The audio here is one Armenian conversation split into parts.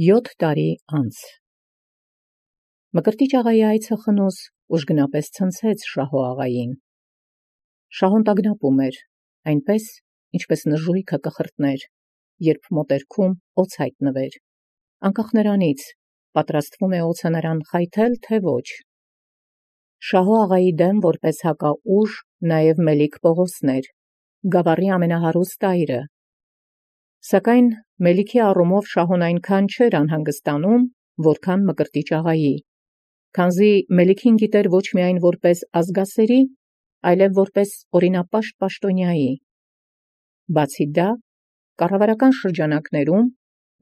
7 տարի անց Մկրտիչ աղայի այցը խնոս ուժգնապես ցնցեց Շահո աղային։ Շահոն տագնապում էր, այնպես ինչպես նժույգը կխրտներ, երբ մոտերքում օձ հայտնվեր, անկախ նրանից պատրաստվում է օձը նրան խայթել, թե ոչ։ Շահո աղայի դեմ որպես հակաուժ նաև Մելիք Պողոսն էր, գավառի ամենահարուստ այրը։ Սակայն Մելիքի առումով Շահոն այնքան չէր անհանգստանում, որքան Մկրտիչ աղայի, քանզի Մելիքին գիտեր ոչ միայն որպես ազգասերի, այլև որպես օրինապաշտ պաշտոնյայի։ Բացի դա, կառավարական շրջանակներում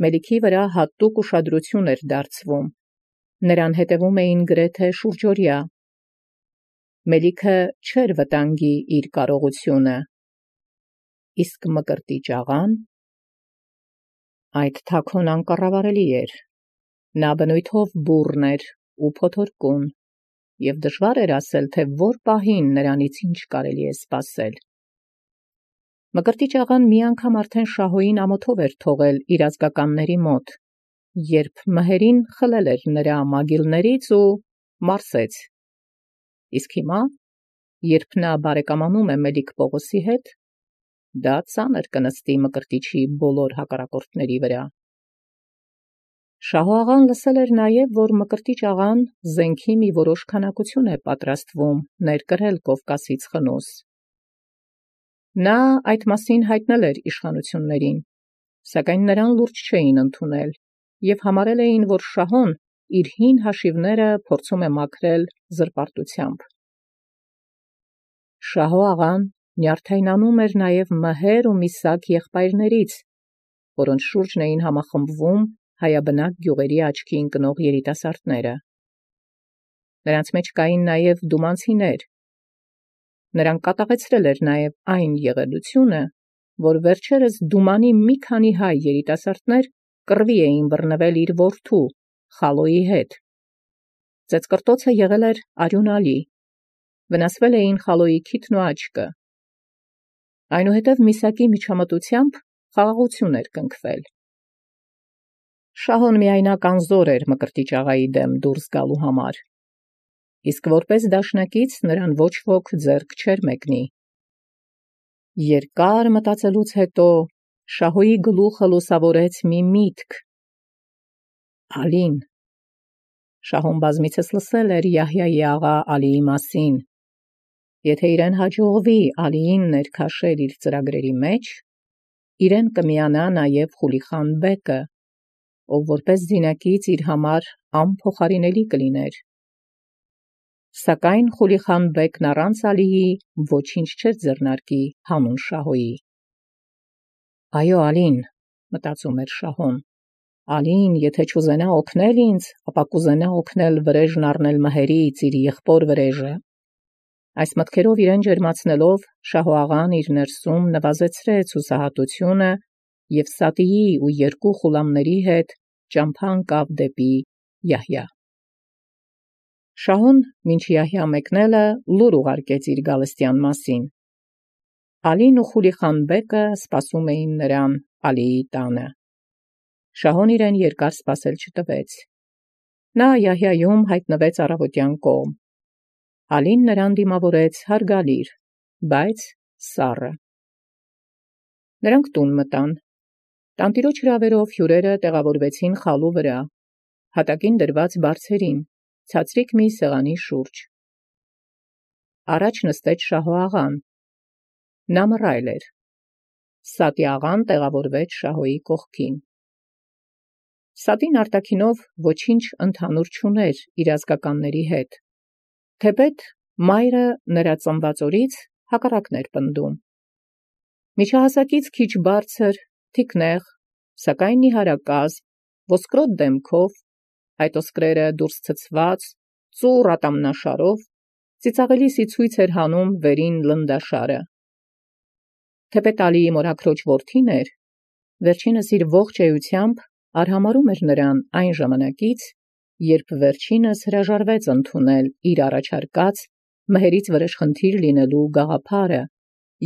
Մելիքի վրա հատուկ ուշադրություն էր դարձվում, նրան հետևում էին գրեթե շուրջօրյա։ Մելիքը չէր վտանգի իր կարողությունը, իսկ Մկրտիչ աղան այդ թաքուն անկառավարելի էր, նա բնույթով բուռն էր ու փոթորկուն, և դժվար էր ասել, թե որ պահին նրանից ինչ կարելի է սպասել։ Մկրտիչ աղան մի անգամ արդեն Շահոյին ամոթով էր թողել իր ազգականների մոտ, երբ մհերին խլել էր նրա մագիլներից ու մարսեց, իսկ հիմա, երբ նա բարեկամանում է Մելիք Պողոսի հետ, դա ծանր կնստի Մկրտիչի բոլոր հակառակորդների վրա։ Շահո աղան լսել էր նաև, որ Մկրտիչ աղան զենքի մի որոշ քանակություն է պատրաստվում ներկրել Կովկասից խնոս։ Նա այդ մասին հայտնել էր իշխանություններին, սակայն նրան լուրջ չէին ընդունել և համարել էին, որ Շահոն իր հին հաշիվները փորձում է մաքրել զրպարտությամբ։ Շահո աղան նյարդայնանում էր նաև մհեր ու մի սակ եղբայրներից, որոնց շուրջն էին համախմբվում հայաբնակ գյուղերի աչքի ընկնող երիտասարդները։ Նրանց մեջ կային նաև դումանցիներ։ Նրան կատաղեցրել էր նաև այն եղելությունը, որ վերջերս Դումանի մի քանի հայ երիտասարդներ կռվի էին բռնվել իր որդու Խալոյի հետ։ Ծեծկռտոցը եղել էր արյունալի, վնասվել էին Խալոյի քիթն ու աչքը։ Այնուհետև Միսակի միջամտությամբ խաղաղություն էր կնքվել։ Շահոն միայնակ անզոր էր Մկրտիչ աղայի դեմ դուրս գալու համար, իսկ որպես դաշնակից նրան ոչ ոք ձեռք չէր մեկնի։ Երկար մտածելուց հետո Շահոյի գլուխը լուսավորեց մի միտք։ Ալին։ Շահոն բազմիցս լսել էր Յահյայի աղա Ալիի մասին։ Եթե իրեն հաջողվի Ալիին ներքաշել իր ծրագրերի մեջ, իրեն կմիանա նաև Խուլիխան բեկը, ով որպես զինակից իր համար անփոխարինելի կլիներ։ Սակայն Խուլիխան բեկն առանց Ալիի ոչինչ չէր ձեռնարկի հանուն Շահոյի։ Այո, Ալին, մտածում էր Շահոն, Ալին, եթե չուզենա օգնել ինձ, ապա կուզենա օգնել վրեժն առնել մհերից իր եղբոր վրեժը։ Այս մտքերով իրեն ջերմացնելով, Շահո աղան իր ներսում նվազեցրեց հուսահատությունը և Սատիի ու 2 խուլամների հետ ճամփա ընկավ դեպի Յահյա։ Շահոն մինչ Յահյա մեկնելը լուր ուղարկեց իր գալստյան մասին։ Ալին ու Խուլիխան բեկը սպասում էին նրան Ալիի տանը։ Շահոն իրեն երկար սպասել չտվեց։ Նա Յահյայում հայտնվեց առավոտյան կողմ։ Ալին նրան դիմավորեց հարգալիր, բայց սառը։ Նրանք տուն մտան։ Տանտիրոջ հրավերով հյուրերը տեղավորվեցին խալու վրա, հատակին դրված բարձերին, ցածրիկ մի սեղանի շուրջ։ Առաջ նստեց Շահո աղան։ Նա մռայլ էր։ Սատի աղան տեղավորվեց Շահոյի կողքին։ Սատին արտաքինով ոչինչ ընդհանուր չուներ իր ազգականների հետ, թեպետ մայրը նրա ծնված օրից հակառակն էր պնդում։ Միջահասակից քիչ բարձր, թիկնեղ, սակայն նիհարակազմ, ոսկրոտ դեմքով, այդ ոսկրերը դուրս ցցված, ծուռ ատամնաշարով, ծիծաղելիսի ցույց էր հանում վերին լնդաշարը։ Թեպետ Ալիի մորաքրոջ որդին էր, վերջինս իր ողջ էությամբ արհամարհում էր նրան այն ժամանակից, երբ վերջինս հրաժարվեց ընդունել իր առաջարկած մհերից վրեժխնդիր լինելու գաղափարը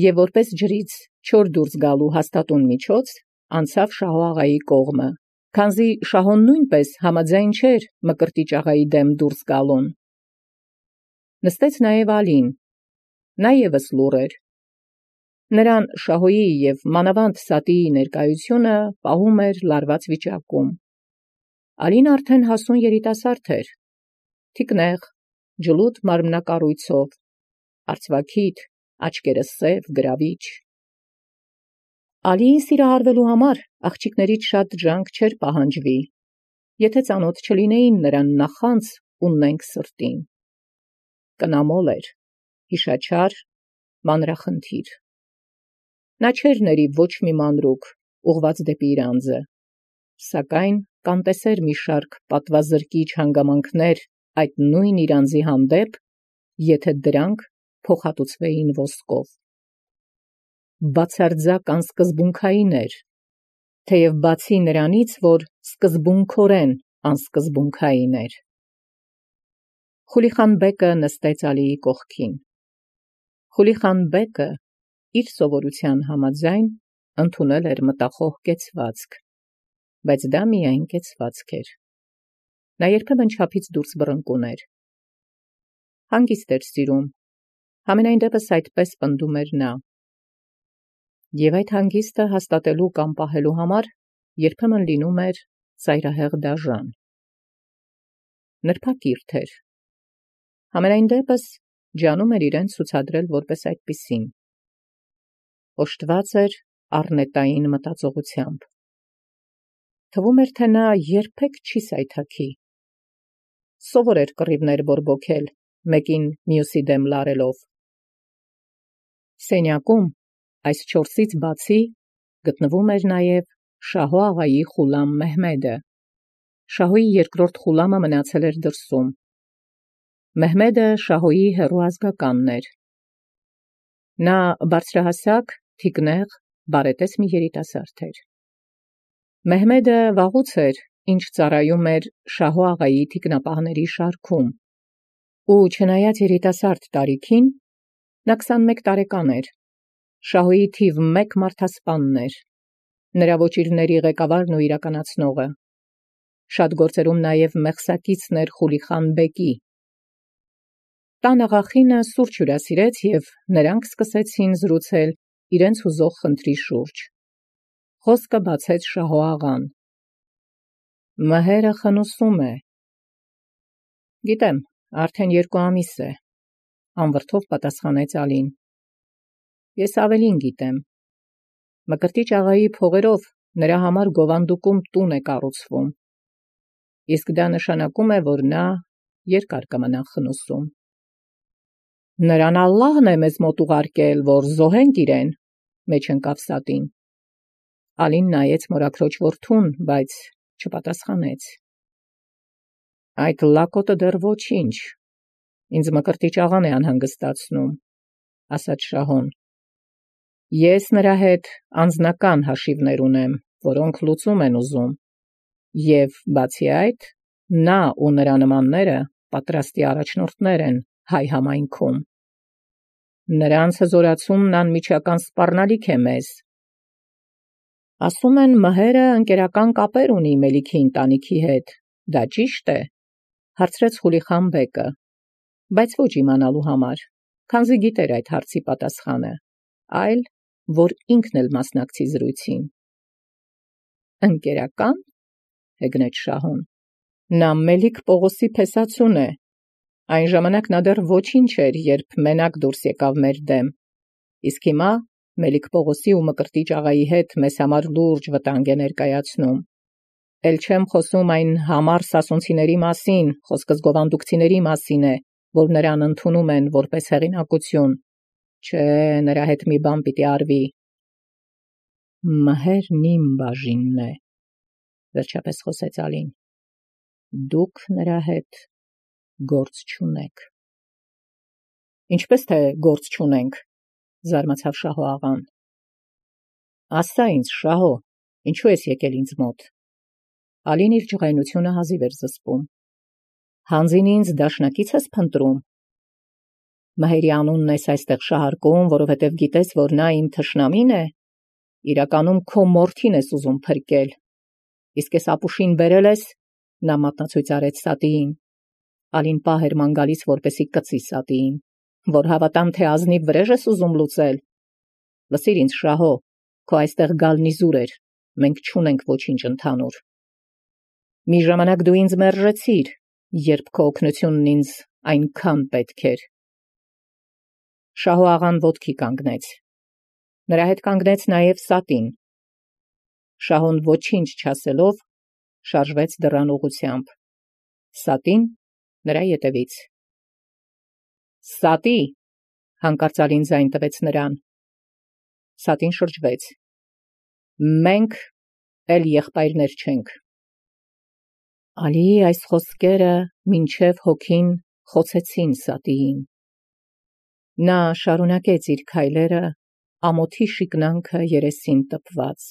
և որպես ջրից չոր դուրս գալու հաստատուն միջոց անցավ Շահո աղայի կողմը, Քանզի շահոն նույնպես համաձայն չէր Մկրտիչ աղայի դեմ դուրս գալուն։ Նստեց նաև Ալին, նա ևս լուռ էր։ Նրան շահոյի և մանավանդ Սատիի ներկայությունը պահում էր լարված վիճակում։ Ալին արդեն հասուն երիտասարդ էր, թիկնեղ, ջլուդ մարմնակառույցով, արծվաքիթ, աչքերը սև, գրավիչ։ Ալիին սիրահարվելու համար աղջիկներից շատ ջանք չէր պահանջվի, եթե ծանոթ չլինեին նրան նախանձ ու նենգ սրտին։ Կնամոլ էր, հիշաչար, մանրախնդիր։ Նա չէր ների ոչ մի մանրուք, ուղված դեպի իր անձը, սակայն կանտեսեր մի շարք պատվազրկիչ հանգամանքներ այդ նույն իր անձի հանդեպ, եթե դրանք փոխհատուցվեին ոսկով։ Բացարձակ անսկզբունքային էր, թեև բացի նրանից, որ սկզբունքորեն անսկզբունքային էր։ Խուլիխան բեկը նստեց Ալիի կողքին։ Խուլիխան բեկը իր սովորության համաձայն ընդունել էր մտախոհ կեցվածք, բայց դա միայն կեցվածք էր։ Նա երբեմն չափից դուրս բռնկուն էր։ Հանգիստ էր սիրում, համենայն դեպս այդպես պնդում էր նա։ Եվ այդ հանգիստը հաստատելու կամ պահելու համար երբեմն լինում էր ծայրահեղ դաժան։ Նրբակիրթ էր։ Համենայն դեպս ջանում էր իրեն ցուցադրել որպես այդպիսին։ Օժտված էր առնետային մտածողությամբ։ Թվում էր, թե նա երբեք չի սայթաքի։ Սովոր էր կռիվներ բորբոքել, մեկին մյուսի դեմ լարելով։ Սենյակում այս չորսից բացի գտնվում էր նաև Շահո աղայի խուլամ Մեհմեդը։ Շահոյի երկրորդ խուլամը մնացել էր դրսում։ Մեհմեդը Շահոյի հեռու ազգականն էր։ Նա բարձրահասակ, թիկնեղ, բարետես մի երիտասարդ էր։ Մեհմեդը վաղուց էր, ինչ ծառայում էր Շահո աղայի թիկնապահների շարքում, ու չնայած երիտասարդ տարիքին, նա 21 տարեկան էր, Շահոյի թիվ 1 մարդասպանն էր, նրա ոճիրների ղեկավարն ու իրականացնողը։ Շատ գործերում նաև մեղսակիցն էր Խուլիխան բեկի։ Տան աղախինը սուրճ հյուրասիրեց և նրանք սկսեցին զրուցել իրենց հուզող խնդրի շուրջ։ Խոսքը բացեց Շահո աղան։ Մհերը խնուսում է։ Գիտեմ, արդեն 2 ամիս է, անվրդով պատասխանեց Ալին։ Ես ավելին գիտեմ։ Մկրտիչ աղայի փողերով նրա համար գովանդուկում տուն է կառուցվում։ Իսկ դա նշանակում է, որ նա երկար կմնա խնուսում։ Նրան Ալլահն է մեզ մոտ ուղարկել, որ զոհենք իրեն, մեջ ընկավ Սատին։ Ալին նայեց մորաքրոջ որդուն, բայց չպատասխանեց։ Այդ լակոտը դեռ ոչինչ, ինձ Մկրտիչ աղան է անհանգստացնում, ասաց Շահոն։ Ես նրա հետ անձնական հաշիվներ ունեմ, որոնք լուծում են ուզում, և բացի այդ, նա ու նրա նմանները պատրաստի առաջնորդներ են հայ համայնքում։ Նրանց հզորացումն անմիջական սպառնալիք է մեզ։ Ասում են մհերը ընկերական կապեր ունի Մելիքի ընտանիքի հետ, դա ճիշտ է, հարցրեց Խուլիխան բեկը, բայց ոչ իմանալու համար, քանզի գիտեր այդ հարցի պատասխանը, այլ որ ինքն էլ մասնակցի զրույցին։ Ընկերական, հեգնեց Շահոն, նա Մելիք Պողոսի փեսացուն է, այն ժամանակ նա դեռ ոչինչ էր, երբ մենակ դուրս եկավ մեր դեմ, իսկ հիմա Մելիք Պողոսի ու Մկրտիչ աղայի հետ մեզ համար լուրջ վտանգ է ներկայացնում։ Էլ չեմ խոսում այն համառ սասունցիների մասին, խոսքս գովանդուկցիների մասին է, որ նրան ընդունում են որպես հեղինակություն։ Չէ, նրա հետ մի բան պիտի արվի։ Մհերն իմ բաժինն է, վերջապես խոսեց Ալին։ Դուք նրա հետ գործ չունեք։ Ինչպես թե գործ չունենք, զարմացավ Շահո աղան։ Ասա ինձ, Շահո, ինչու ես եկել ինձ մոտ։ Ալին իր ջղայնությունը հազիվ էր զսպում։ Հանձին ինձ դաշնակից ես փնտրում։ Մհերի անունն ես այստեղ շահարկում, որովհետև գիտես, որ նա իմ թշնամին է։ Իրականում քո մորթին ես ուզում փրկել։ Իսկ ես ապուշին բերել ես, նա մատնացույց արեց Սատիին, ալին պահեր ման գալիս, որպեսի կծի Սատիին, որ հավատամ, թե ազնիվ վրեժ ես ուզում լուծել։ Լսիր ինձ, Շահո, քո այստեղ գալն իզուր էր, մենք չունենք ոչինչ ընդհանուր։ Մի ժամանակ դու ինձ մերժեցիր, երբ քո օգնությունն ինձ այնքան պետք էր։ Շահո աղան ոտքի կանգնեց։ Նրա հետ կանգնեց նաև Սատին։ Շահոն ոչինչ չասելով շարժվեց դռան ուղղությամբ։ Սատին նրա ետևից։ Սատի, հանկարծալին ձայն տվեց նրան։ Սատին շրջվեց։ Մենք էլ եղբայրներ չենք։ Ալի այս խոսքերը մինչև հոգին խոցեցին Սատիին։ Նա շարունակեց իր քայլերը, ամոթի շիկնանքը երեսին տպված։